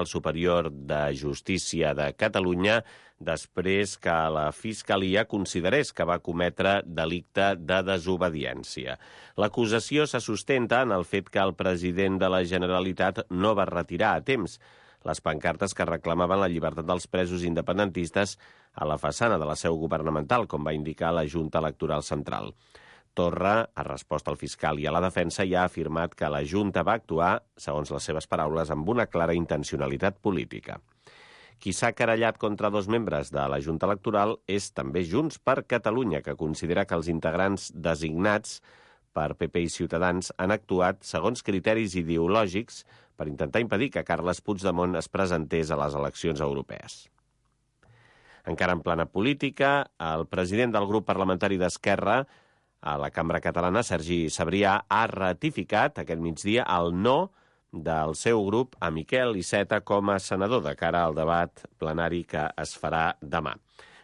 Superior de Justícia de Catalunya després que la Fiscalia considerés que va cometre delicte de desobediència. L'acusació se sustenta en el fet que el president de la Generalitat no va retirar a temps les pancartes que reclamaven la llibertat dels presos independentistes a la façana de la seu governamental, com va indicar la Junta Electoral Central. Torra ha respost al fiscal i a la defensa i ha afirmat que la Junta va actuar, segons les seves paraules, amb una clara intencionalitat política. Qui s'ha querellat contra 2 membres de la Junta Electoral és també Junts per Catalunya, que considera que els integrants designats per PP i Ciutadans han actuat segons criteris ideològics per intentar impedir que Carles Puigdemont es presentés a les eleccions europees. Encara en plana política, el president del grup parlamentari d'Esquerra a la Cambra Catalana, Sergi Sabrià, ha ratificat aquest migdia el no del seu grup a Miquel Iceta com a senador de cara al debat plenari que es farà demà.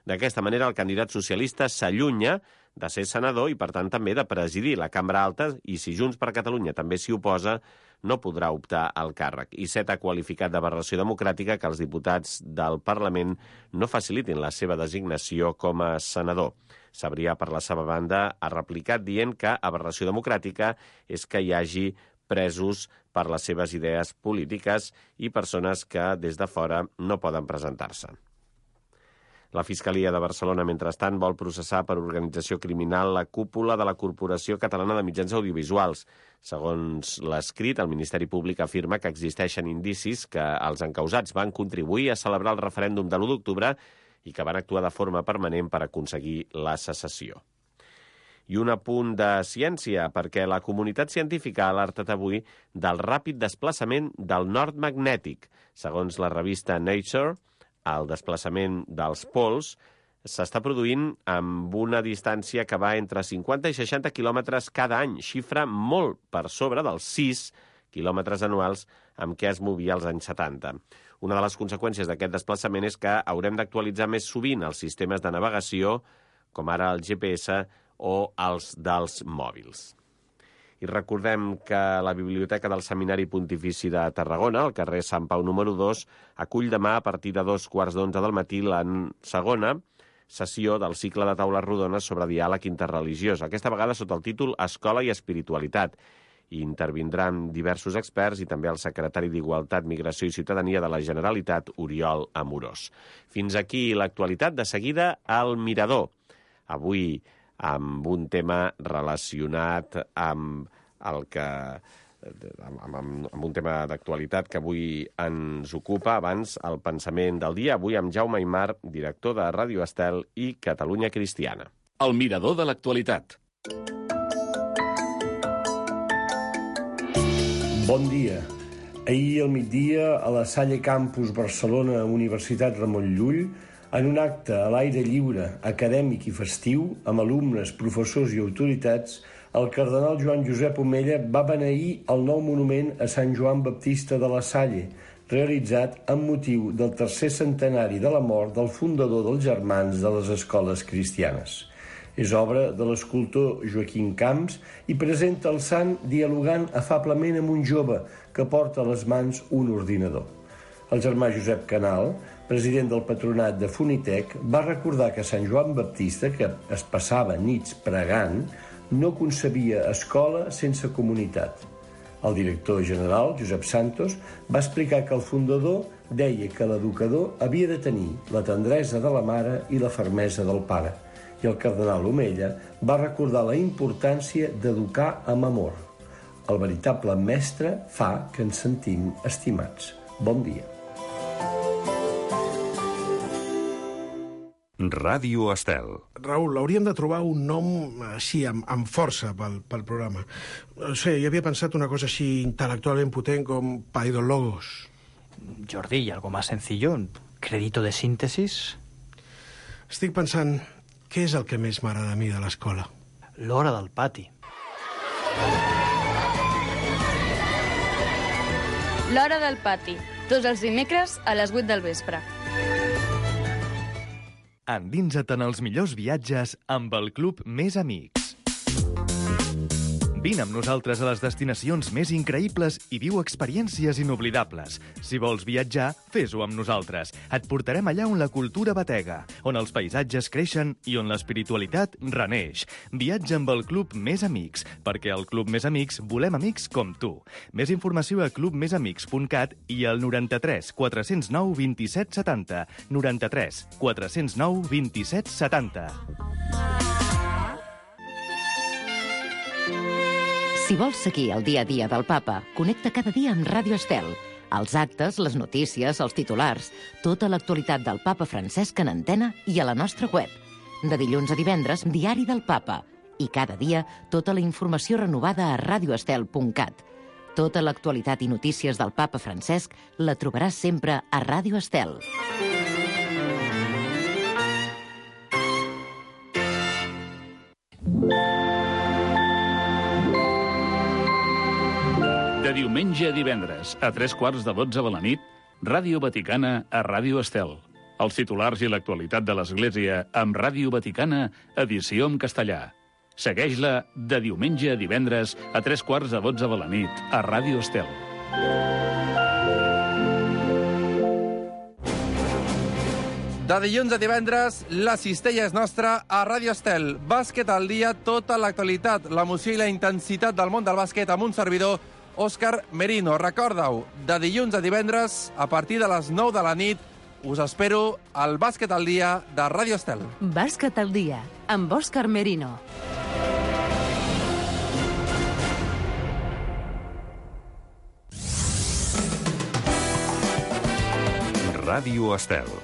D'aquesta manera, el candidat socialista s'allunya de ser senador i, per tant, també de presidir la Cambra Alta i, si Junts per Catalunya també s'hi oposa, no podrà optar al càrrec. Iceta ha qualificat d'aberració democràtica que els diputats del Parlament no facilitin la seva designació com a senador. Sabrià, per la seva banda, ha replicat dient que aberració democràtica és que hi hagi presos per les seves idees polítiques i persones que des de fora no poden presentar-se. La Fiscalia de Barcelona, mentrestant, vol processar per organització criminal la cúpula de la Corporació Catalana de Mitjans Audiovisuals. Segons l'escrit, el Ministeri Públic afirma que existeixen indicis que els encausats van contribuir a celebrar el referèndum de l'1 d'octubre i que van actuar de forma permanent per aconseguir la secessió. I un apunt de ciència, perquè la comunitat científica ha alertat avui del ràpid desplaçament del nord magnètic. Segons la revista Nature, el desplaçament dels pols s'està produint amb una distància que va entre 50 i 60 quilòmetres cada any, xifra molt per sobre dels 6 quilòmetres anuals amb què es movia als anys 70. Una de les conseqüències d'aquest desplaçament és que haurem d'actualitzar més sovint els sistemes de navegació, com ara el GPS o els dels mòbils. I recordem que la Biblioteca del Seminari Pontifici de Tarragona, al carrer Sant Pau número 2, acull demà a partir de 2:15 del matí la segona sessió del cicle de taules rodones sobre diàleg interreligiós, aquesta vegada sota el títol Escola i Espiritualitat. I intervindran diversos experts i també el secretari d'Igualtat, Migració i Ciutadania de la Generalitat, Oriol Amorós. Fins aquí l'actualitat. De seguida, al Mirador. Avui, amb un tema relacionat amb un tema d'actualitat que avui ens ocupa. Abans, el pensament del dia, avui amb Jaume Aymar, director de Ràdio Estel i Catalunya Cristiana. El Mirador de l'actualitat. Bon dia. Ahir al migdia, a la Salle Campus Barcelona, Universitat Ramon Llull, en un acte a l'aire lliure, acadèmic i festiu, amb alumnes, professors i autoritats, el cardenal Joan Josep Omella va beneir el nou monument a Sant Joan Baptista de la Salle, realitzat amb motiu del 3è centenari de la mort del fundador dels Germans de les Escoles Cristianes. És obra de l'escultor Joaquim Camps i presenta el sant dialogant afablement amb un jove que porta a les mans un ordinador. El germà Josep Canal, president del patronat de Funitec, va recordar que Sant Joan Baptista, que es passava nits pregant, no concebia escola sense comunitat. El director general, Josep Santos, va explicar que el fundador deia que l'educador havia de tenir la tendresa de la mare i la fermesa del pare. I el cardenal Omella va recordar la importància d'educar amb amor. El veritable mestre fa que ens sentim estimats. Bon dia. Ràdio Estel. Raül, hauríem de trobar un nom així, amb força pel programa. No sé, jo havia pensat una cosa així intel·lectualment potent com Paidologos. Jordi, ¿y algo más sencillo? ¿Crédito de síntesis? Estic pensant, què és el que més m'agrada a mi de l'escola? L'hora del pati. L'hora del pati, tots els dimecres a les 8 del vespre. Endinsa't en els millors viatges amb el Club Més Amics. Vine amb nosaltres a les destinacions més increïbles i viu experiències inoblidables. Si vols viatjar, fes-ho amb nosaltres. Et portarem allà on la cultura batega, on els paisatges creixen i on l'espiritualitat reneix. Viatja amb el Club Més Amics, perquè al Club Més Amics volem amics com tu. Més informació a clubmesamics.cat i al 93 409 27 70. 93 409 27 70. Si vols seguir el dia a dia del papa, connecta cada dia amb Ràdio Estel. Els actes, les notícies, els titulars, tota l'actualitat del papa Francesc en antena i a la nostra web. De dilluns a divendres, Diari del Papa. I cada dia, tota la informació renovada a radioestel.cat. Tota l'actualitat i notícies del papa Francesc la trobaràs sempre a Ràdio Estel. De diumenge a divendres, a 3:15 de la nit, Ràdio Vaticana a Ràdio Estel. Els titulars i l'actualitat de l'Església amb Ràdio Vaticana, edició en castellà. Segueix-la de diumenge a divendres a 3:15 de la nit a Ràdio Estel. De dilluns a divendres, la cistella és nostra a Ràdio Estel. Bàsquet al dia, tota l'actualitat, l'emoció i la intensitat del món del bàsquet amb un servidor, Òscar Merino. Recorda-ho, de dilluns a divendres, a partir de les 9 de la nit, us espero al Bàsquet al dia de Ràdio Estel. Bàsquet al dia, amb Òscar Merino. Ràdio Estel.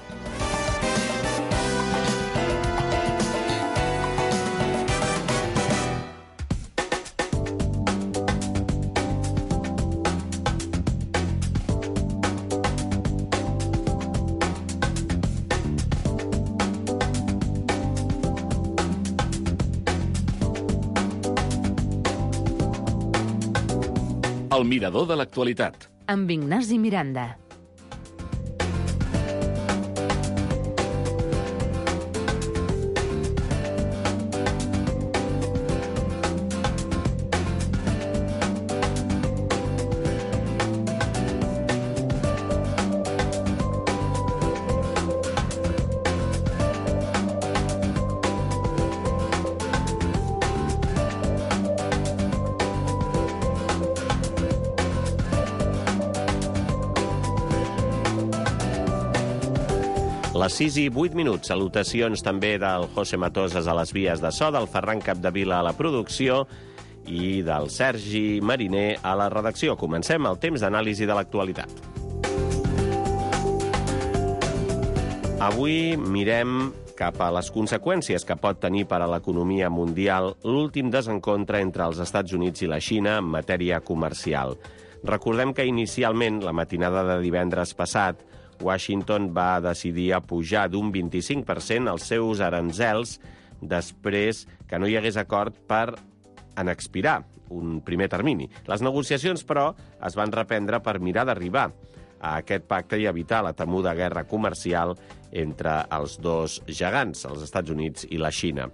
El mirador de l'actualitat. Amb Ignasi Miranda. Les 6:08. Salutacions també del José Matosas a les vies de so, del Ferran Capdevila a la producció i del Sergi Mariner a la redacció. Comencem el temps d'anàlisi de l'actualitat. Avui mirem cap a les conseqüències que pot tenir per a l'economia mundial l'últim desencontre entre els Estats Units i la Xina en matèria comercial. Recordem que inicialment, la matinada de divendres passat, Washington va decidir pujar d'un 25% els seus aranzels després que no hi hagués acord per en expirar un primer termini. Les negociacions, però, es van reprendre per mirar d'arribar a aquest pacte i evitar la temuda guerra comercial entre els dos gegants, els Estats Units i la Xina.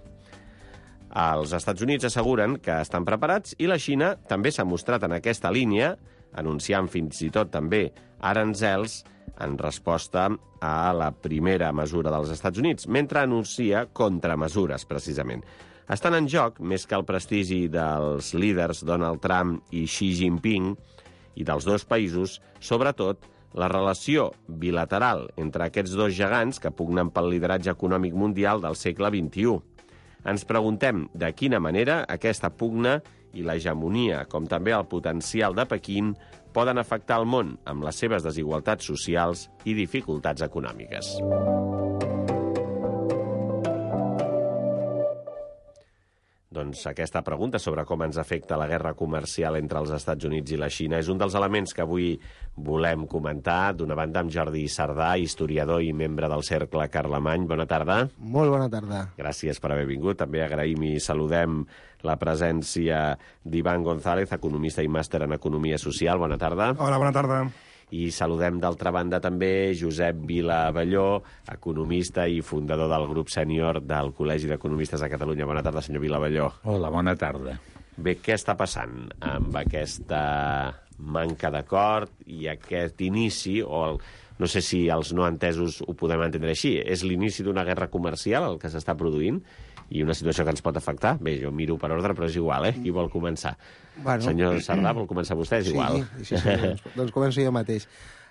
Els Estats Units asseguren que estan preparats i la Xina també s'ha mostrat en aquesta línia, anunciant fins i tot també aranzels en resposta a la primera mesura dels Estats Units, mentre anuncia contramesures, precisament. Estan en joc, més que el prestigi dels líders Donald Trump i Xi Jinping i dels dos països, sobretot la relació bilateral entre aquests dos gegants que pugnen pel lideratge econòmic mundial del segle XXI. Ens preguntem de quina manera aquesta pugna i l'hegemonia, com també el potencial de Pequín, poden afectar el món amb les seves desigualtats socials i dificultats econòmiques. Doncs aquesta pregunta sobre com ens afecta la guerra comercial entre els Estats Units i la Xina és un dels elements que avui volem comentar. D'una banda amb Jordi Sardà, historiador i membre del Cercle Carlemany. Bona tarda. Molt bona tarda. Gràcies per haver vingut. També agraïm i saludem la presència d'Ivan González, economista i màster en Economia Social. Bona tarda. Hola, bona tarda. I saludem d'altra banda també Josep Vila Abelló, economista i fundador del grup sènior del Col·legi d'Economistes de Catalunya. Bona tarda, senyor Vila Abelló. Hola, bona tarda. Bé, què està passant amb aquesta manca d'acord i aquest inici, no sé si els no entesos ho podem entendre així, és l'inici d'una guerra comercial el que s'està produint i una situació que ens pot afectar? Bé, jo miro per ordre, però és igual, Qui vol començar? Bueno. Senyor Sardà, vol començar vostè? És igual. Sí, doncs començo jo mateix.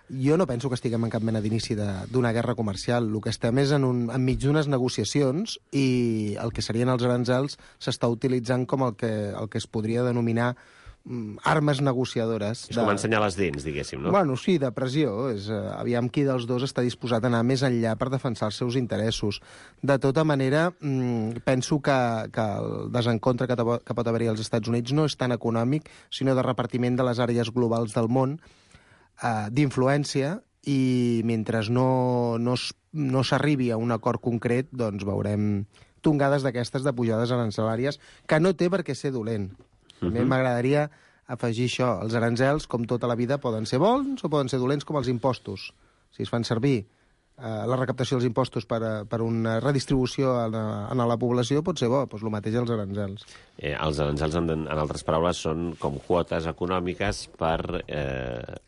Jo no penso que estiguem en cap mena d'inici d'una guerra comercial. El que estem és enmig d'unes negociacions i el que serien els aranzels s'està utilitzant com el que es podria denominar armes negociadores. És com ensenyar les dents, diguéssim, no? Bueno, sí, de pressió. Aviam qui dels dos està disposat a anar més enllà per defensar els seus interessos. De tota manera, penso que el desencontre que pot haver-hi als Estats Units no és tan econòmic, sinó de repartiment de les àrees globals del món, d'influència, i mentre no s'arribi a un acord concret, doncs veurem tongades d'aquestes de pujades arancelàries, que no té per què ser dolent. També m'agradaria afegir això. Els aranzels, com tota la vida, poden ser bons o poden ser dolents, com els impostos. Si es fan servir la recaptació dels impostos per una redistribució en la població, pot ser bo. Doncs el mateix els aranzels. Els aranzels, en altres paraules, són com quotes econòmiques per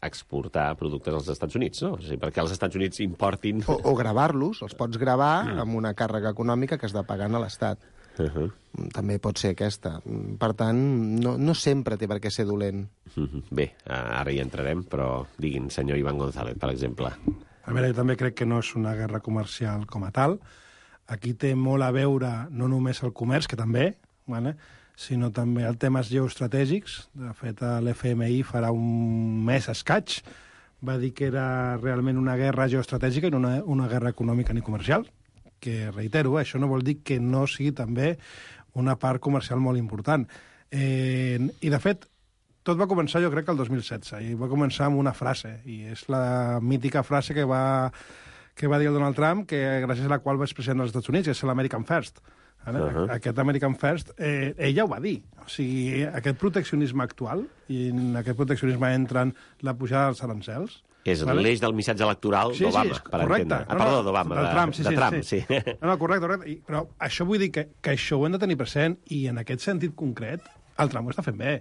exportar productes als Estats Units, no? O sigui, perquè els Estats Units importin... O gravar-los, els pots gravar amb una càrrega econòmica que has de pagar a l'Estat. També pot ser aquesta. Per tant, no sempre té per què ser dolent. Bé, ara hi entrarem, però diguin, senyor Iván González, per exemple. A veure, jo també crec que no és una guerra comercial com a tal. Aquí té molt a veure no només el comerç, que també, sinó també els temes geoestratègics. De fet, l'FMI farà un mes escaig va dir que era realment una guerra geoestratègica i no una guerra econòmica ni comercial, que, reitero, això no vol dir que no sigui també una part comercial molt important. I, de fet, tot va començar, jo crec, el 2016, i va començar amb una frase, i és la mítica frase que va dir el Donald Trump, que gràcies a la qual va ser president dels Estats Units, que és l'American First. Aquest American First, ella ho va dir. O sigui, aquest proteccionisme actual, i en aquest proteccionisme entren la pujada dels arancels, és l'eix del missatge electoral d'Obama, per entendre. Perdó, d'Obama, de Trump, sí. No, correcte. Però això vull dir que això ho hem de tenir present, i en aquest sentit concret, el Trump ho està fent bé.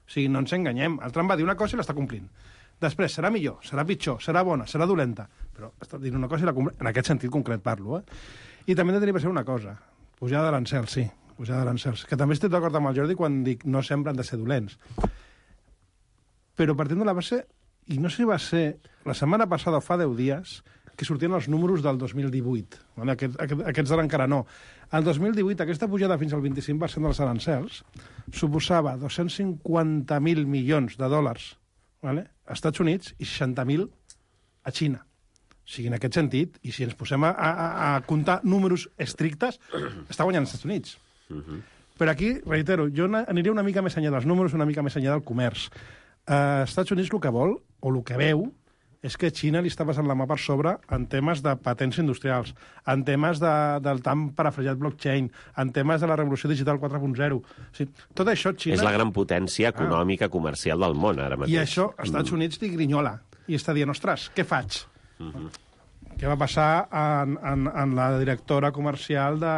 O sigui, no ens enganyem. El Trump va dir una cosa i l'està complint. Després, serà millor, serà pitjor, serà bona, serà dolenta, però està dient una cosa i la complint. En aquest sentit concret parlo, I també hem de tenir present una cosa. Pujada d'arancels, sí, pujada d'arancels. Que també estic d'acord amb el Jordi quan dic no sempre han de ser dolents. Però partint de la base, i no sé si va ser la setmana passada o fa 10 dies, que sortien els números del 2018. Aquests d'ara encara no. El 2018, aquesta pujada fins al 25% dels arancels suposava 250.000 milions de dòlars als Estats Units i 60.000 a Xina. O sigui, en aquest sentit, i si ens posem a comptar números estrictes, està guanyant els Estats Units. Però aquí, reitero, jo aniré una mica més enllà dels números, una mica més enllà del comerç. Els Estats Units el que vol, o el que veu, és que Xina li està passant la mà per sobre en temes de patents industrials, en temes del tan parafrasejat blockchain, en temes de la revolució digital 4.0. O sigui, tot això Xina... És la gran potència econòmica comercial del món, ara mateix. I això, als Estats Units li grinyola. I està dient, ostres, què faig? Què va passar en la directora comercial de...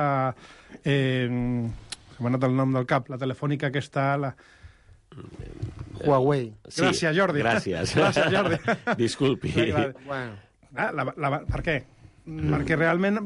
m'ha anat el nom del cap, la telefònica que està... Huawei. Sí, gràcies, Jordi. Gràcies, Jordi. Disculpi. Bueno. Per què? Perquè realment...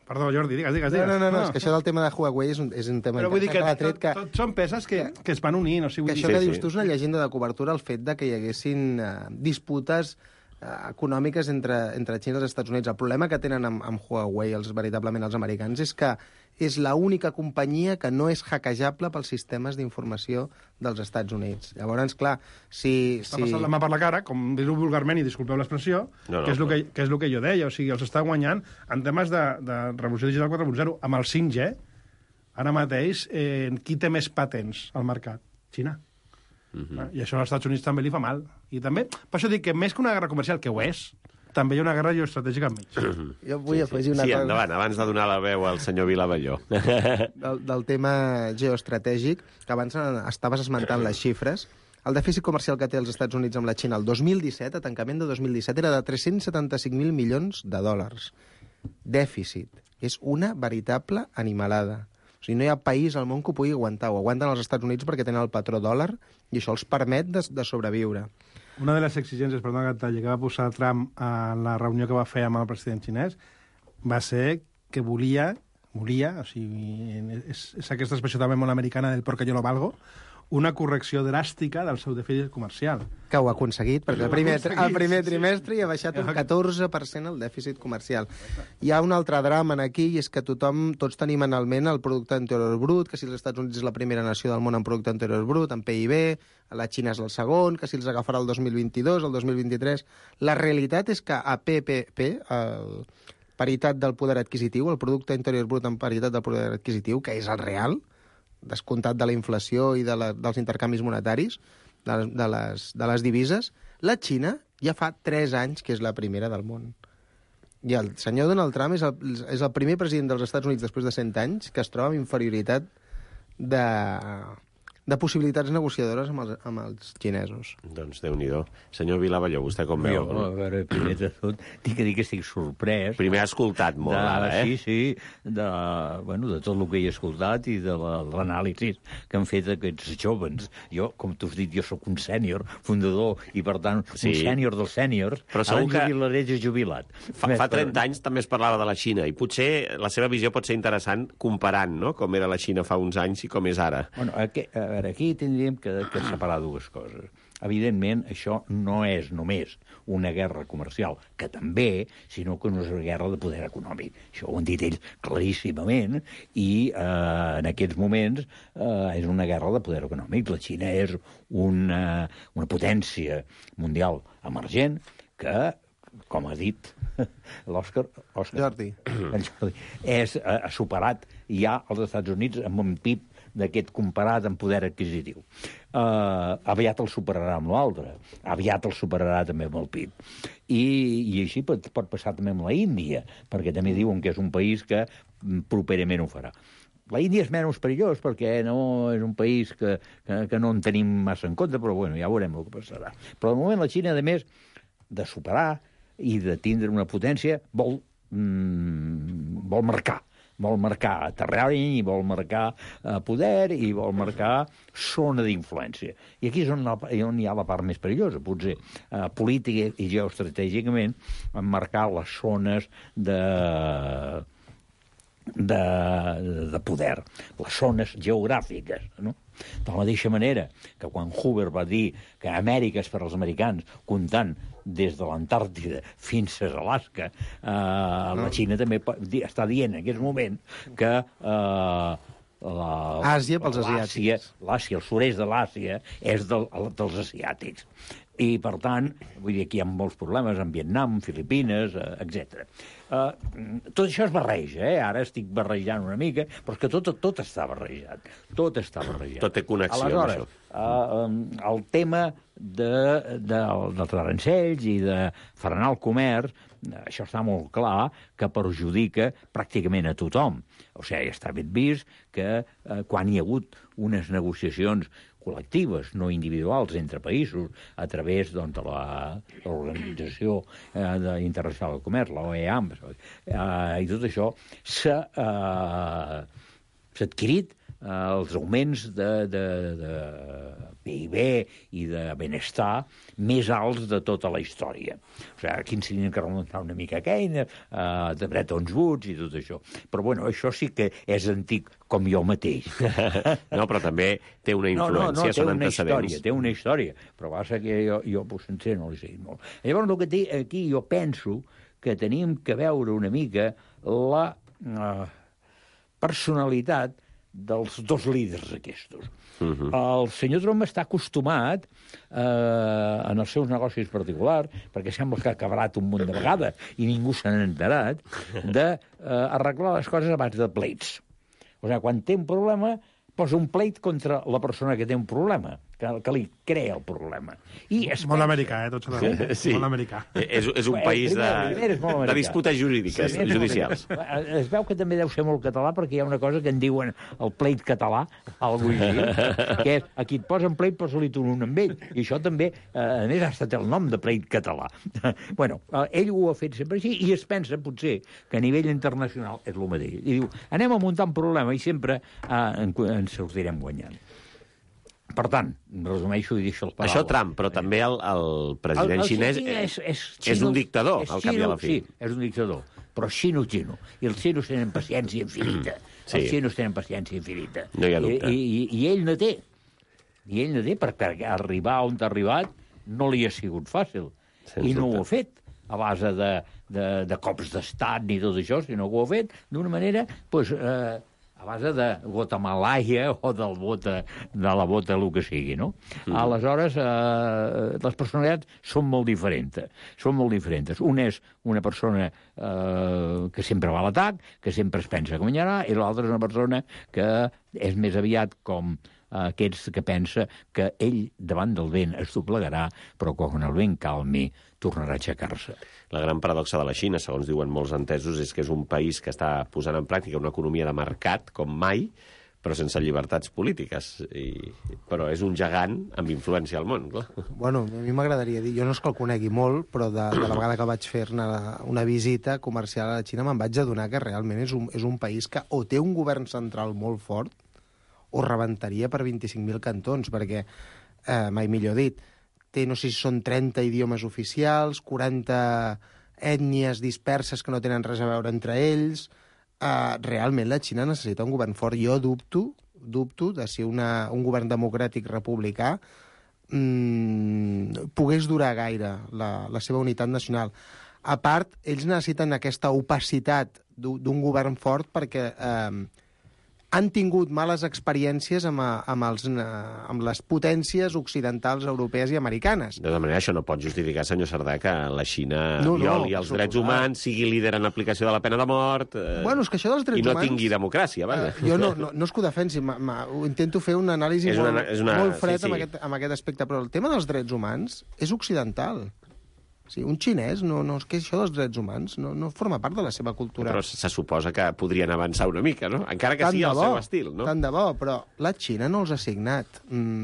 Perdó, Jordi, digues. No, és que això del tema de Huawei és un tema... Però vull dir que tot són peces que es van unint. O sigui, que això que dius tu és una llegenda de cobertura, el fet de que hi haguessin disputes econòmiques entre Xina i els Estats Units. El problema que tenen amb Huawei, veritablement els americans, és que és l'única companyia que no és hackejable pels sistemes d'informació dels Estats Units. Llavors, clar, Està passant la mà per la cara, com dir-ho vulgarment, i disculpeu l'expressió, que és el que jo deia. O sigui, els està guanyant en temes de revolució digital 4.0. Amb el 5G, ara mateix, qui té més patents al mercat? Xina. I això als Estats Units també li fa mal. I també, per això dic que més que una guerra comercial, que ho és, també hi ha una guerra geoestratègica enmig. Jo vull afegir una cosa... Sí, endavant, abans de donar la veu al senyor Vilavelló. Del tema geoestratègic, que abans estaves esmentant les xifres, el dèficit comercial que té els Estats Units amb la Xina el 2017, a tancament de 2017, era de 375.000 milions de dòlars. Dèficit. És una veritable animalada. O O sigui, no hi ha país al món que ho pugui aguantar. Ho aguanten els Estats Units perquè tenen el patró dòlar i això els permet de sobreviure. Una de les exigències, perdona que que va posar Trump a la reunió que va fer amb el president xinès va ser que volia, o sigui, és aquesta expressió també molt americana del porque yo lo valgo, una correcció dràstica del seu dèficit comercial. Que ho ha aconseguit, perquè el primer trimestre hi ha baixat un 14% el dèficit comercial. Hi ha un altre drama aquí, i és que tots tenim en el ment el producte interior brut, que si els Estats Units és la primera nació del món en producte interior brut, en PIB, la Xina és el segon, que si els agafarà el 2022, el 2023... La realitat és que a PPP, paritat del poder adquisitiu, el producte interior brut en paritat del poder adquisitiu, que és el real, descomptat de la inflació i dels intercanvis monetaris, de les divises, la Xina ja fa 3 anys que és la primera del món. I el senyor Donald Trump és el primer president dels Estats Units després de 100 anys que es troba amb inferioritat de possibilitats negociadores amb els xinesos. Doncs Déu-n'hi-do. Senyor Vilavalló, vostè com veu? Jo, a veure, primer de tot, tinc que dir que estic sorprès. Primer ha escoltat molt, ara, eh? Sí, de tot el que he escoltat i de l'anàlisi que han fet aquests joves. Jo, com tu has dit, jo sóc un sènior, fundador, i per tant, un sènior dels sèniors. Però segur que jubilaré jubilat. Fa 30 anys també es parlava de la Xina, i potser la seva visió pot ser interessant comparant, no?, com era la Xina fa uns anys i com és ara. Bueno, aquí tindríem que separar dues coses. Evidentment, això no és només una guerra comercial, que també, sinó que no és una guerra de poder econòmic. Això ho han dit ells claríssimament, i en aquests moments és una guerra de poder econòmic. La Xina és una potència mundial emergent que, com ha dit l'Òscar Jordi, ha superat ja els Estats Units amb un PIB d'aquest comparat amb poder adquisitiu. Aviat el superarà amb l'altre, aviat el superarà també amb el PIB. I així pot passar també amb la Índia, perquè també diuen que és un país que properament ho farà. La Índia és menys perillós perquè no és un país que no en tenim massa en compte, però bueno, ja veurem el que passarà. Però de moment la Xina, a més de superar i de tindre una potència, vol marcar terreny, i vol marcar poder, i vol marcar zona d'influència. I aquí és on hi ha la part més perillosa, potser política i geoestratègicament, marcar les zones de poder, les zones geogràfiques, no? De la mateixa manera que quan Hoover va dir que Amèrica és per als americans, comptant des de l'Antàrtida fins a Alaska, la Xina també està dient en aquest moment que Àsia pels asiàtics. L'Àsia, el sud-est de l'Àsia, és dels asiàtics. I, per tant, vull dir, aquí hi ha molts problemes amb Vietnam, Filipines, etc. Tot això es barreja, Ara estic barrejant una mica, però és que tot està barrejat. Tot està barrejat. Tot té connexió amb això. El tema dels arancells i de frenar el comerç, això està molt clar que perjudica pràcticament a tothom. O sigui, està ben vist que quan hi ha hagut unes negociacions col·lectives, no individuals, entre països, a través de l'Organització Internacional del Comerç, l'OEA, i tot això, s'ha adquirit els augments de PIB i de benestar més alts de tota la història. O sigui, aquí ens tenim que remuntar una mica a Keynes, de Bretton Woods i tot això. Però, bueno, això sí que és antic, com jo mateix. No, però també té una influència, són antecedents. Té una història, però passa que jo sencer no l'he seguit molt. Llavors, el que té aquí, jo penso que tenim que veure una mica la personalitat dels dos líders aquests. El senyor Trump està acostumat en els seus negocis particulars, perquè sembla que ha acabat un munt de vegades i ningú se n'ha enterat, d'arreglar les coses a base de pleits. O sigui, quan té un problema, posa un pleit contra la persona que té un problema. que li crea el problema. I molt americà, tots alhora. Sí. Molt americà. És un país de disputes jurídiques, judicials. Es veu que també deu ser molt català, perquè hi ha una cosa que en diuen el pleit català, algú així, que és, aquí et posen pleit, posa-li tu un amb ell. I això també, a més, ha estat el nom de pleit català. Bueno, ell ho ha fet sempre així, i es pensa, potser, que a nivell internacional és el mateix. I diu, anem a muntar un problema i sempre ens sortirem guanyant. Per tant, resumeixo i deixo el paraules. Això Trump, però també el president xinès és un dictador, al cap i a la fi. Sí, és un dictador, però xino. I els xinos tenen paciència infinita. Els xinos tenen paciència infinita. No hi ha dubte. I ell no té. I ell no té, perquè arribar on ha arribat no li ha sigut fàcil. I no ho ha fet a base de cops d'estat ni tot això, sinó que ho ha fet d'una manera, doncs, a base de Guatemalaia o de la bota, el que sigui, no? Aleshores, les personalitats són molt diferents. Un és una persona que sempre va a l'atac, que sempre es pensa que guanyarà, i l'altra és una persona que és més aviat com aquests que pensa que ell davant del vent es doblegarà, però quan el vent calmi tornarà a aixecar-se. La gran paradoxa de la Xina, segons diuen molts entesos, és que és un país que està posant en pràctica una economia de mercat com mai, però sense llibertats polítiques. Però és un gegant amb influència al món, clar. Bueno, a mi m'agradaria dir, jo no és que el conegui molt, però de la vegada que vaig fer-ne una visita comercial a la Xina me'n vaig adonar que realment és un país que o té un govern central molt fort o rebentaria per 25.000 cantons, perquè, mai millor dit, té, no sé si són 30 idiomes oficials, 40 ètnies disperses que no tenen res a veure entre ells. Realment la Xina necessita un govern fort. Jo dubto de si un govern democràtic republicà pogués durar gaire la seva unitat nacional. A part, ells necessiten aquesta opacitat d'un govern fort perquè han tingut males experiències amb les potències occidentals, europees i americanes. De tota manera, això no pot justificar, senyor Cerdà, que la Xina violi els drets humans, sigui líder en l'aplicació de la pena de mort, bueno, és que això dels drets i no humans, tingui democràcia. Jo no és que ho defensi, intento fer una anàlisi molt fred amb aquest aspecte, però el tema dels drets humans és occidental. Sí, un xinès, és que això dels drets humans no forma part de la seva cultura. Però se suposa que podrien avançar una mica, no? Encara que sigui el seu estil, no? Tant de bo, però la Xina no els ha signat.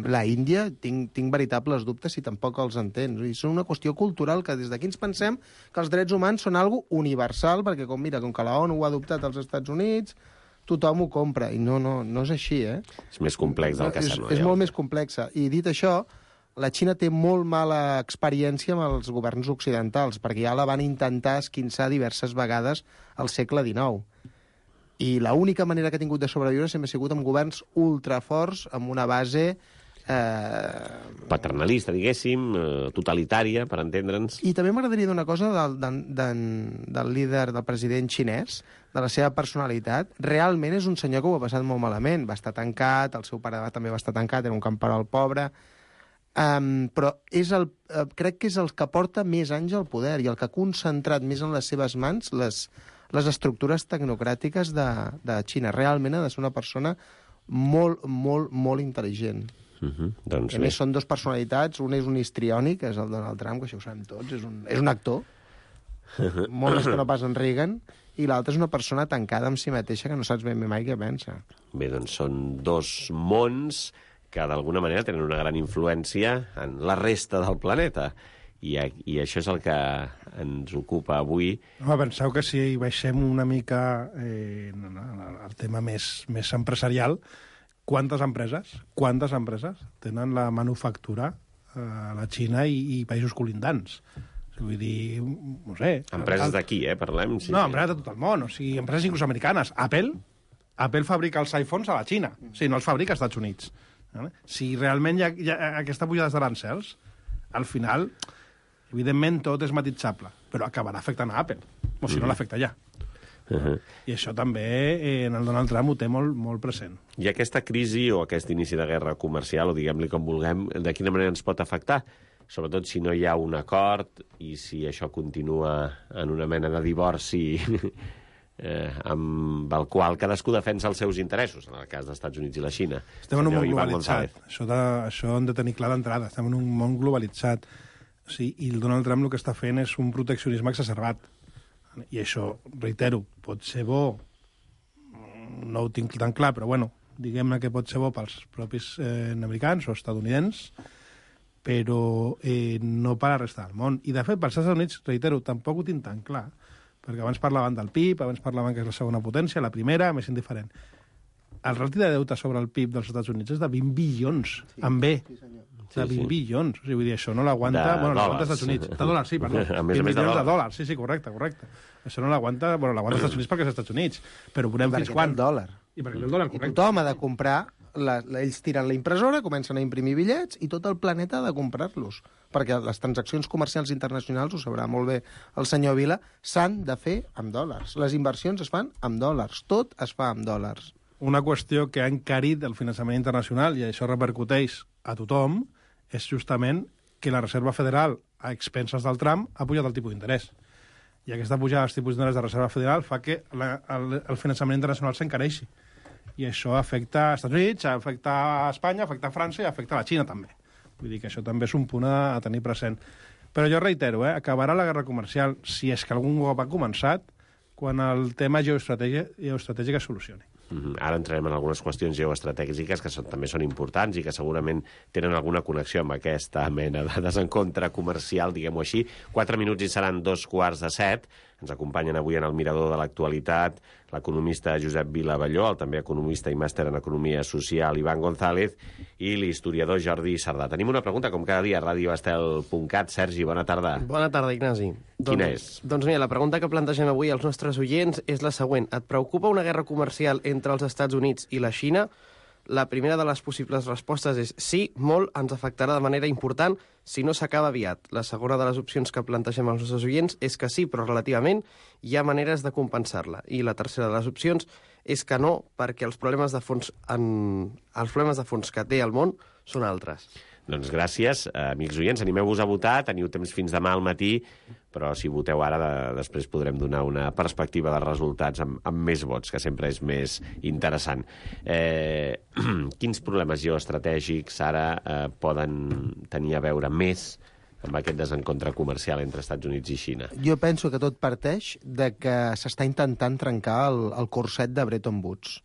La Índia, tinc veritables dubtes si tampoc els entens. És una qüestió cultural que des d'aquí ens pensem que els drets humans són algo universal, perquè com que la ONU ho ha adoptat als Estats Units, tothom ho compra, i no és així, eh? És més complex del que sembla. És molt més complexa. I dit això, la Xina té molt mala experiència amb els governs occidentals, perquè ja la van intentar esquinçar diverses vegades al segle XIX. I l'única manera que ha tingut de sobreviure sempre ha sigut amb governs ultraforts, amb una base paternalista, diguéssim, totalitària, per entendre'ns. I també m'agradaria dir una cosa del líder, del president xinès, de la seva personalitat. Realment és un senyor que ho ha passat molt malament. Va estar tancat, el seu pare també va estar tancat, era un camperol pobre. Però crec que és el que porta més anys al poder i el que ha concentrat més en les seves mans les estructures tecnocràtiques de Xina. Realment ha de ser una persona molt, molt, molt intel·ligent. Doncs a més, són dues personalitats. Un és un histriònic, que és el Donald Trump, que això ho sabem tots, és un actor, molt més que no pas en Reagan, i l'altre és una persona tancada amb si mateixa que no saps ben bé mai què pensa. Bé, doncs són dos mons que d'alguna manera tenen una gran influència en la resta del planeta. I això és el que ens ocupa avui. No, penseu que si baixem una mica el tema més empresarial, quantes empreses tenen la manufactura a la Xina i països colindants? Vull dir, no sé... Empreses d'aquí, parlem? Sí, no, empreses de tot el món, o sigui, empreses inclús americanes. Apple fabrica els iPhones a la Xina, o sigui, no els fabrica als Estats Units. Si realment hi ha aquesta pujada d'arancels, al final, evidentment, tot és matitzable, però acabarà afectant a Apple, o si no l'afecta ja. I això també en el Donald Trump ho té molt, molt present. I aquesta crisi o aquest inici de guerra comercial, o diguem-li com vulguem, de quina manera ens pot afectar? Sobretot si no hi ha un acord i si això continua en una mena de divorci amb el qual cadascú defensa els seus interessos, en el cas dels Estats Units i la Xina. Estem en un món globalitzat. Això hem de tenir clar d'entrada. Estem en un món globalitzat. Sí, i el Donald Trump el que està fent és un proteccionisme exacerbat. I això, reitero, pot ser bo, no ho tinc tan clar, però bueno, diguem-ne que pot ser bo pels propis americans o estadounidencs, però no per la resta del món. I, de fet, pels Estats Units, reitero, tampoc ho tinc tan clar, perquè abans parlaven del PIB, abans parlaven que és la segona potència, la primera, més indiferent. El rati de deute sobre el PIB dels Estats Units és de 20 bilions, amb B. De 20 bilions. O sigui, vull dir, això no l'aguanta... Bueno, l'aguanta als Estats Units. De dòlars, sí, perdó. 20 milions de dòlars. Sí, correcte. Això no l'aguanta... Bueno, l'aguanta als Estats Units perquè és als Estats Units. Però veurem fins quan... Dòlar. I perquè el dòlar, correcte. I tothom ha de comprar... Ells tiren la impressora, comencen a imprimir bitllets i tot el planeta ha de comprar-los. Perquè les transaccions comercials internacionals, ho sabrà molt bé el senyor Vila, s'han de fer amb dòlars. Les inversions es fan amb dòlars. Tot es fa amb dòlars. Una qüestió que ha encarit el finançament internacional, i això repercuteix a tothom, és justament que la Reserva Federal, a expenses del Trump, ha pujat el tipus d'interès. I aquesta pujada dels tipus d'interès de la Reserva Federal fa que el finançament internacional s'encareixi. I això afecta als Estats Units, afecta a Espanya, afecta a França i afecta a la Xina, també. Vull dir que això també és un punt a tenir present. Però jo reitero, acabarà la guerra comercial, si és que algun cop ha començat, quan el tema geoestratègic es solucioni. Ara entrarem en algunes qüestions geoestratègiques que també són importants i que segurament tenen alguna connexió amb aquesta mena de desencontre comercial, diguem-ho així. 4 minuts i seran 2:15. Ens acompanyen avui en el Mirador de l'Actualitat l'economista Josep Vila Abelló, el també economista i màster en Economia Social Iván González i l'historiador Jordi Sardà. Tenim una pregunta, com cada dia, a radioestel.cat. Sergi, bona tarda. Bona tarda, Ignasi. Quina és? Doncs mira, la pregunta que plantegem avui als nostres oients és la següent. Et preocupa una guerra comercial entre els Estats Units i la Xina? La primera de les possibles respostes és sí, molt, ens afectarà de manera important si no s'acaba aviat. La segona de les opcions que plantegem als nostres oients és que sí, però relativament hi ha maneres de compensar-la. I la tercera de les opcions és que no, perquè els problemes de fons que té el món són altres. Doncs gràcies, amics oients. Animeu-vos a votar, teniu temps fins demà al matí, però si voteu ara, després podrem donar una perspectiva de resultats amb més vots, que sempre és més interessant. Quins problemes geoestratègics ara poden tenir a veure més amb aquest desencontre comercial entre Estats Units i Xina? Jo penso que tot parteix de que s'està intentant trencar el corset de Bretton Woods,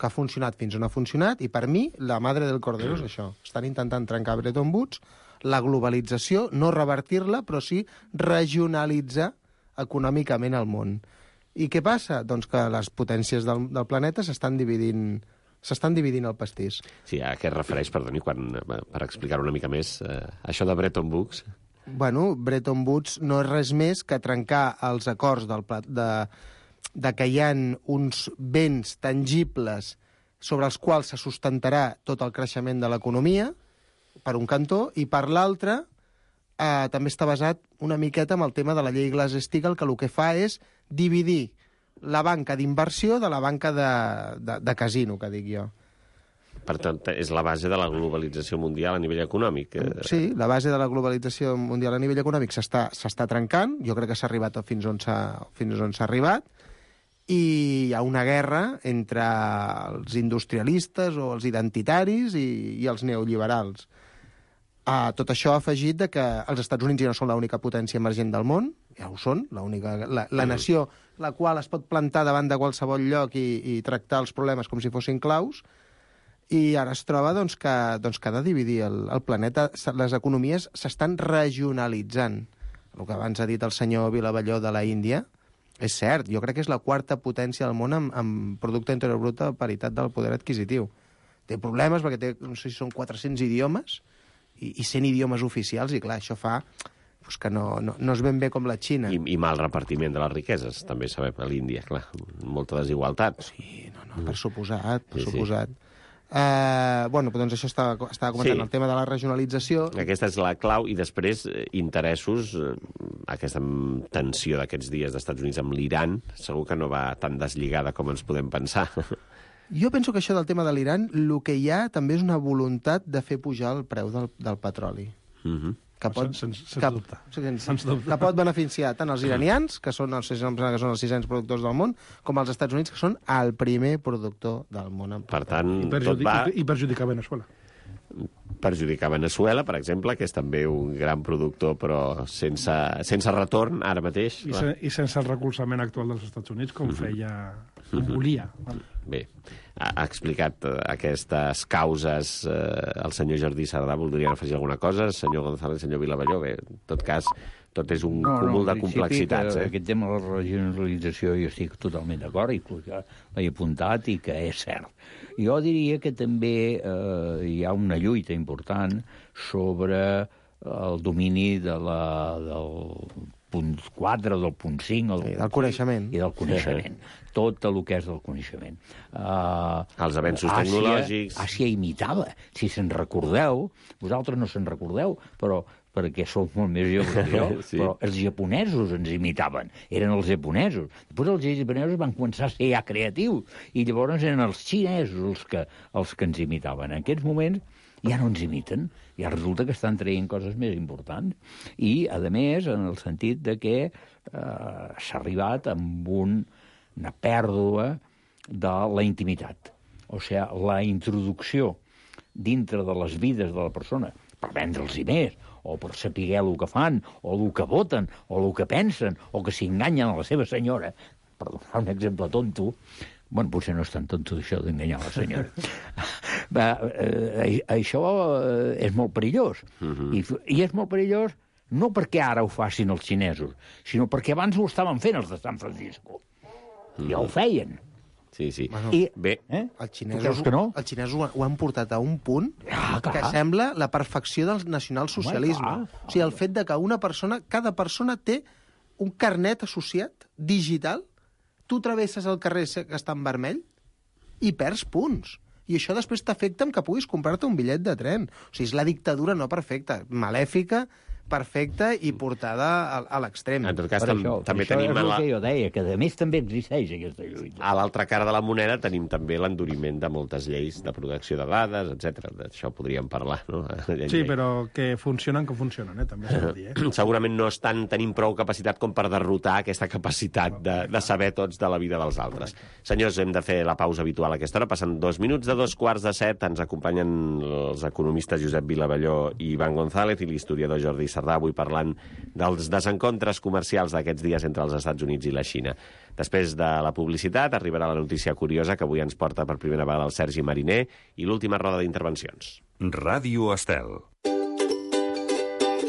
que ha funcionat fins on ha funcionat, i per mi la madre del cordero és això. Estan intentant trencar Bretton Woods, la globalització, no revertir-la, però sí regionalitzar econòmicament el món. I què passa? Doncs que les potències del planeta s'estan dividint el pastís. Sí, a què es refereix, perdoni, per explicar-ho una mica més, això de Bretton Woods? Bueno, Bretton Woods no és res més que trencar els acords de que hi ha uns béns tangibles sobre els quals se sustentarà tot el creixement de l'economia, per un cantó, i per l'altre també està basat una miqueta en el tema de la llei Glass-Steagall, que el que fa és dividir la banca d'inversió de la banca de casino, que dic jo. Per tant, és la base de la globalització mundial a nivell econòmic. Sí, la base de la globalització mundial a nivell econòmic s'està trencant. Jo crec que s'ha arribat fins on s'ha arribat. I hi ha una guerra entre els industrialistes o els identitaris i els neoliberals. Tot això ha afegit de que els Estats Units ja no són l'única potència emergent del món, ja ho són, la nació la qual es pot plantar davant de qualsevol lloc i tractar els problemes com si fossin claus, i ara es troba que ha de dividir el planeta. Les economies s'estan regionalitzant. El que abans ha dit el senyor Vilavelló de la Índia és cert. Jo crec que és la quarta potència del món amb producte interior brut a paritat del poder adquisitiu. Té problemes perquè té, no sé si són 400 idiomes i 100 idiomes oficials, i clar, això fa que no és ben bé com la Xina. I mal repartiment de les riqueses, també sabem, a l'Índia, clar, molta desigualtat. Sí, per suposat, per suposat. Doncs això estava comentant, el tema de la regionalització. Aquesta és la clau, i després interessos, aquesta tensió d'aquests dies dels Estats Units amb l'Iran, segur que no va tan deslligada com ens podem pensar. Jo penso que això del tema de l'Iran, el que hi ha també és una voluntat de fer pujar el preu del petroli. que pot, Sense dubte. que pot beneficiar tant els iranians, que són els 600 productors del món, com els Estats Units, que són el primer productor del món. Per tant, I perjudicar Venezuela. Perjudicar Venezuela, per exemple, que és també un gran productor, però sense retorn ara mateix. I sense el recolzament actual dels Estats Units, com volia. Bé, ha explicat aquestes causes el senyor Jordi Sardà. Voldrien afegir alguna cosa? Senyor González, senyor Vilavelló, bé, en tot cas, tot és un cúmul de complexitats. Aquest tema de la regionalització jo estic totalment d'acord, i l'he apuntat i que és cert. Jo diria que també hi ha una lluita important sobre el domini del punt 4, del punt 5... del coneixement. I del coneixement. Tot el que és del coneixement. Els avenços tecnològics... Àsia imitava, si se'n recordeu, vosaltres no se'n recordeu, però perquè sou molt més joves que jo, sí. Però els japonesos ens imitaven, eren els japonesos. Després els japonesos van començar a ser ja creatius, i llavors eren els xinesos els que ens imitaven. En aquests moments ja no ens imiten, ja resulta que estan traient coses més importants. I, a més, en el sentit de que s'ha arribat amb una pèrdua de la intimitat. O sigui, la introducció dintre de les vides de la persona, per vendre'ls-hi més, o per saber el que fan, o el que voten, o el que pensen, o que s'enganyen a la seva senyora. Per donar un exemple tonto, bueno, potser no és tan tonto això d'enganyar la senyora. Això és molt perillós. I és molt perillós no perquè ara ho facin els xinesos, sinó perquè abans ho estaven fent els de San Francisco. Ja ho feien. Sí. Bueno, bé, els xinesos ho han portat a un punt que sembla la perfecció del nacionalsocialisme. O sigui, el fet de que cada persona té un carnet associat digital, tu travesses el carrer que està en vermell i perds punts. I això després t'afecta amb que puguis comprar-te un bitllet de tren. O sigui, és la dictadura no perfecta, malèfica, perfecta i portada a l'extrem. En tot cas, també això tenim... és el que jo deia, que a més també existeix aquesta lluita. A l'altra cara de la moneda tenim també l'enduriment de moltes lleis de protecció de dades, etc. D'això podríem parlar, no? Sí, però que funcionen, també s'ha de dir. Segurament no tenim prou capacitat com per derrotar aquesta capacitat de saber tots de la vida dels altres. Senyors, hem de fer la pausa habitual a aquesta hora. Passen 2 minuts de 2:45. Ens acompanyen els economistes Josep Vilavelló i Ivan González i l'historiador Jordi Sardà, avui parlant dels desencontres comercials d'aquests dies entre els Estats Units i la Xina. Després de la publicitat arribarà la notícia curiosa que avui ens porta per primera vegada el Sergi Mariner i l'última roda d'intervencions. Ràdio Estel.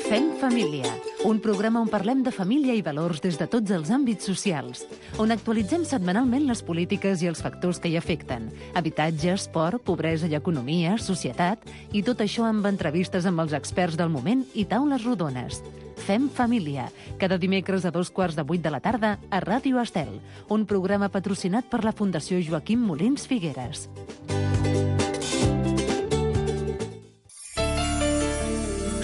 Fem família, un programa on parlem de família i valors des de tots els àmbits socials, on actualitzem setmanalment les polítiques i els factors que hi afecten, habitatge, esport, pobresa i economia, societat, i tot això amb entrevistes amb els experts del moment i taules rodones. Fem família, cada dimecres a 7:15 de la tarda a Ràdio Estel, un programa patrocinat per la Fundació Joaquim Molins Figueres.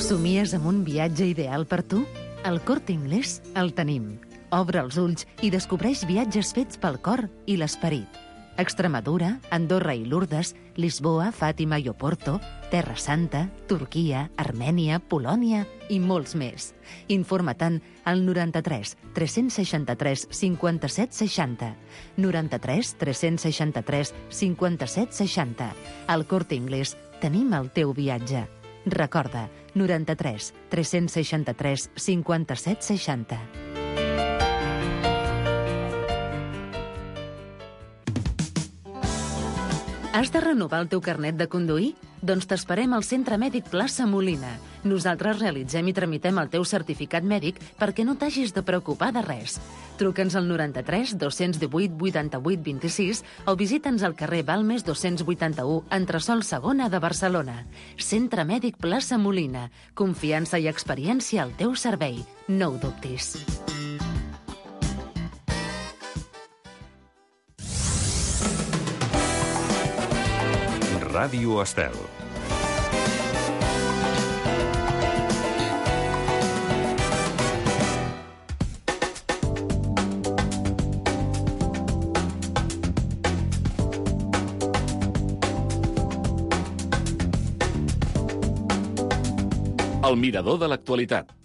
Somies amb un viatge ideal per tu? Al Corte Inglés el tenim. Obre els ulls i descobreix viatges fets pel cor i l'esperit. Extremadura, Andorra i Lourdes, Lisboa, Fàtima i Oporto, Terra Santa, Turquia, Armènia, Polònia i molts més. Informa-te'n al 93 363 57 60. 93 363 57 60. Al Corte Inglés tenim el teu viatge. Recorda, 93 363 57 60. Has de renovar el teu carnet de conduir? Doncs t'esperem al Centre Mèdic Plaça Molina. Nosaltres realitzem i tramitem el teu certificat mèdic perquè no t'hagis de preocupar de res. Truca'ns al 93 218 88 26 o visita'ns al carrer Balmes 281, entresòl segona de Barcelona. Centre Mèdic Plaça Molina. Confiança i experiència al teu servei. No ho dubtis. Ràdio Estel. El mirador de l'actualitat.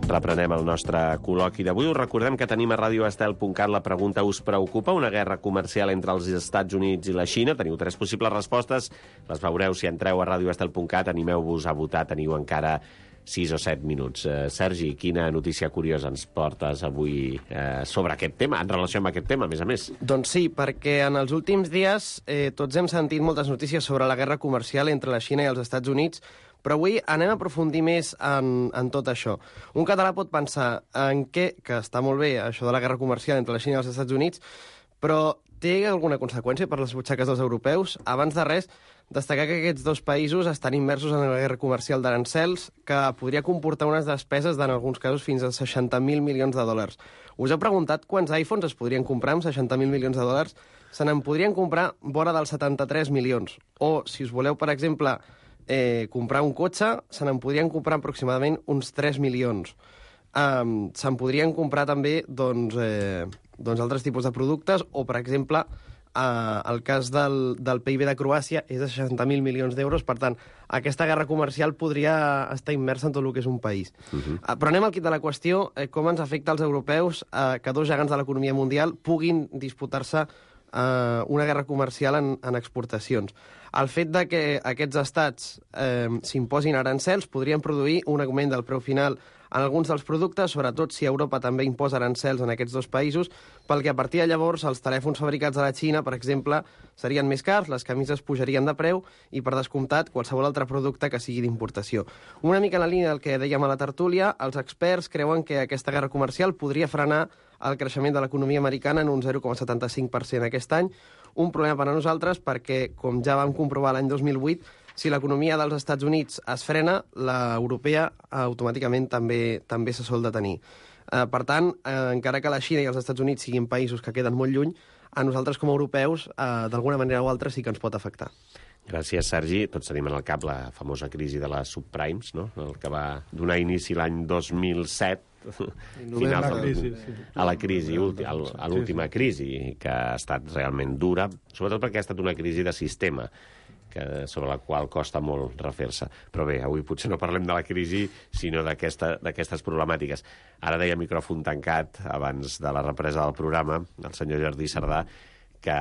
Reprenem el nostre col·loqui d'avui. Us recordem que tenim a radioestel.cat la pregunta: us preocupa una guerra comercial entre els Estats Units i la Xina? Teniu 3 possibles respostes. Les veureu si entreu a radioestel.cat. Animeu-vos a votar. Teniu encara 6 o 7 minuts. Sergi, quina notícia curiosa ens portes avui sobre aquest tema, en relació amb aquest tema, a més? Doncs sí, perquè en els últims dies tots hem sentit moltes notícies sobre la guerra comercial entre la Xina i els Estats Units, però avui anem a aprofundir més en tot això. Un català pot pensar en que està molt bé això de la guerra comercial entre la Xina i els Estats Units, però té alguna conseqüència per les butxaques dels europeus? Abans de res, destacar que aquests dos països estan immersos en la guerra comercial d'arancels, que podria comportar unes despeses d'en alguns casos fins a 60.000 milions de dòlars. Us heu preguntat quants iPhones es podrien comprar amb 60.000 milions de dòlars? Se n'en podrien comprar vora dels 73 milions. O, si us voleu, per exemple, comprar un cotxe, se n'en podrien comprar aproximadament uns 3 milions. Se'n podrien comprar també altres tipus de productes, o, per exemple, el cas del PIB de Croàcia és de 60.000 milions d'euros. Per tant, aquesta guerra comercial podria estar immersa en tot el que és un país. Però anem al quid de la qüestió: com ens afecta als europeus que dos gegants de l'economia mundial puguin disputar-se una guerra comercial en exportacions. El fet de que aquests estats s'imposin arancels podrien produir un augment del preu final en alguns dels productes, sobretot si Europa també imposa arancels en aquests dos països, pel que a partir de llavors els telèfons fabricats a la Xina, per exemple, serien més cars, les camises pujarien de preu i, per descomptat, qualsevol altre producte que sigui d'importació. Una mica en la línia del que dèiem a la tertúlia, els experts creuen que aquesta guerra comercial podria frenar el creixement de l'economia americana en un 0,75% aquest any. Un problema per a nosaltres perquè, com ja vam comprovar l'any 2008, si l'economia dels Estats Units es frena, l'europea automàticament també se sol detenir. Per tant, encara que la Xina i els Estats Units siguin països que queden molt lluny, a nosaltres com a europeus, d'alguna manera o altra, sí que ens pot afectar. Gràcies, Sergi. Tots tenim en el cap la famosa crisi de les subprimes, no? El que va donar inici l'any 2007, a la crisi, a l'última crisi, que ha estat realment dura, sobretot perquè ha estat una crisi de sistema, sobre la qual costa molt refer-se. Però bé, avui potser no parlem de la crisi, sinó d'aquestes problemàtiques. Ara deia micròfon tancat, abans de la represa del programa, el senyor Jordi Cerdà, que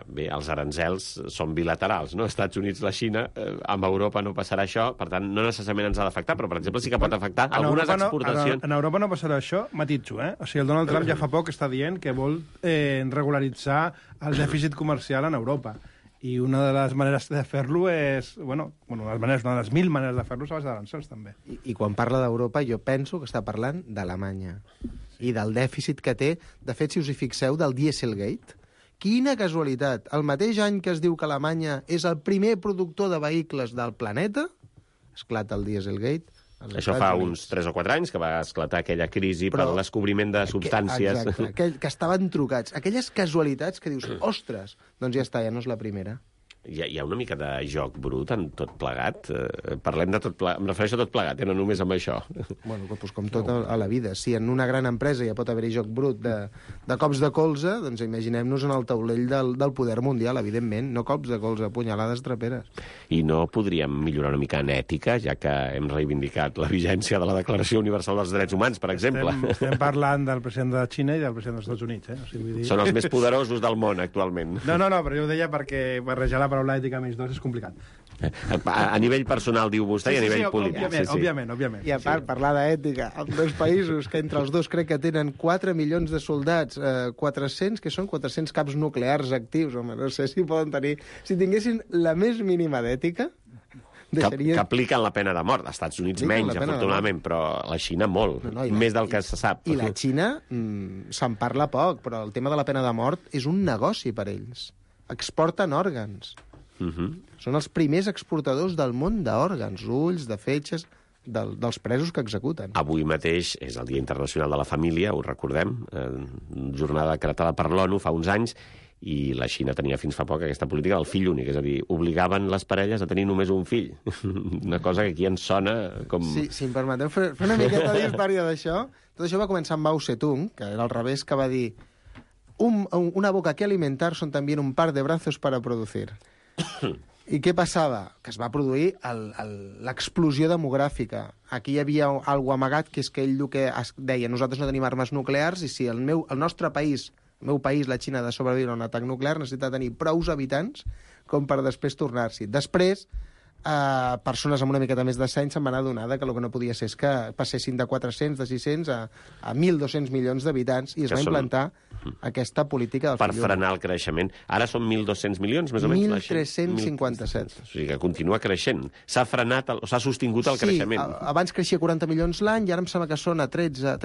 bé, els arancels són bilaterals, no? Estats Units, la Xina, amb Europa no passarà això, per tant, no necessàriament ens ha d'afectar, però, per exemple, sí que pot afectar algunes exportacions. En Europa no passarà això, matitzo, eh? O sigui, el Donald Trump ja fa poc està dient que vol regularitzar el dèficit comercial en Europa. I una de les maneres de fer-lo és... una de les 1000 maneres de fer-lo és a base d'arancels, també. I quan parla d'Europa, jo penso que està parlant d'Alemanya i del dèficit que té. De fet, si us hi fixeu, del Dieselgate. Quina casualitat! El mateix any que es diu que Alemanya és el primer productor de vehicles del planeta, esclata el Dieselgate. Això fa uns 3 o 4 anys que va esclatar aquella crisi per descobriment de substàncies. Exacte, que estaven trucats. Aquelles casualitats que dius, ostres, doncs ja està, ja no és la primera. Hi ha una mica de joc brut en tot plegat? Parlem de tot plegat, em refereixo a tot plegat, no només amb això. Bueno, doncs com tot a la vida. Si en una gran empresa ja pot haver-hi joc brut de cops de colze, doncs imaginem-nos en el taulell del poder mundial, evidentment, no cops de colze, punyalades traperes. I no podríem millorar una mica en ètica, ja que hem reivindicat la vigència de la Declaració Universal dels Drets Humans, per exemple? Estem parlant del president de la Xina i del president dels Estats Units, O sigui, vull dir... Són els més poderosos del món, actualment. No, però jo ho deia perquè barrejar la paraula ètica més dos és complicat. A nivell personal, diu vostè, i a nivell polític. Òbviament. I a part, parlar d'ètica, amb dos països que entre els dos crec que tenen 4 milions de soldats, 400, que són 400 caps nuclears actius, home, no sé si poden tenir... Si tinguessin la més mínima d'ètica... Que apliquen la pena de mort. Als Estats Units menys, afortunadament, però la Xina molt, més del que se sap. I la Xina se'n parla poc, però el tema de la pena de mort és un negoci per ells. Exporten òrgans. Són els primers exportadors del món d'òrgans, ulls, de fetges, dels presos que executen. Avui mateix és el Dia Internacional de la Família, ho recordem, jornada decretada per l'ONU fa uns anys, i la Xina tenia fins fa poc aquesta política del fill únic, és a dir, obligaven les parelles a tenir només un fill. Una cosa que aquí ens sona com... Sí, si em permeteu fer una miqueta d'història d'això. Tot això va començar amb Mao Zedong, que era al revés, que va dir una boca que alimentar son también un par de brazos para producir. I què passava? Que es va produir l'explosió demogràfica. Aquí hi havia algo amagat, que és que ell el que deia, nosaltres no tenim armes nuclears i si el nostre país, el meu país, la Xina, ha de sobreviure a un atac nuclear, necessita tenir prous habitants com per després tornar-s'hi. Després, persones amb una miqueta més de seny se'n van adonar que el que no podia ser és que passessin de 400, de 600 a 1.200 milions d'habitants i es va implantar aquesta política del per frenar el creixement. Ara són 1.200 milions, més o menys? 1.357. O sigui que continua creixent. S'ha frenat, s'ha sostingut el creixement. Sí, abans creixia 40 milions l'any i ara em sembla que són a 13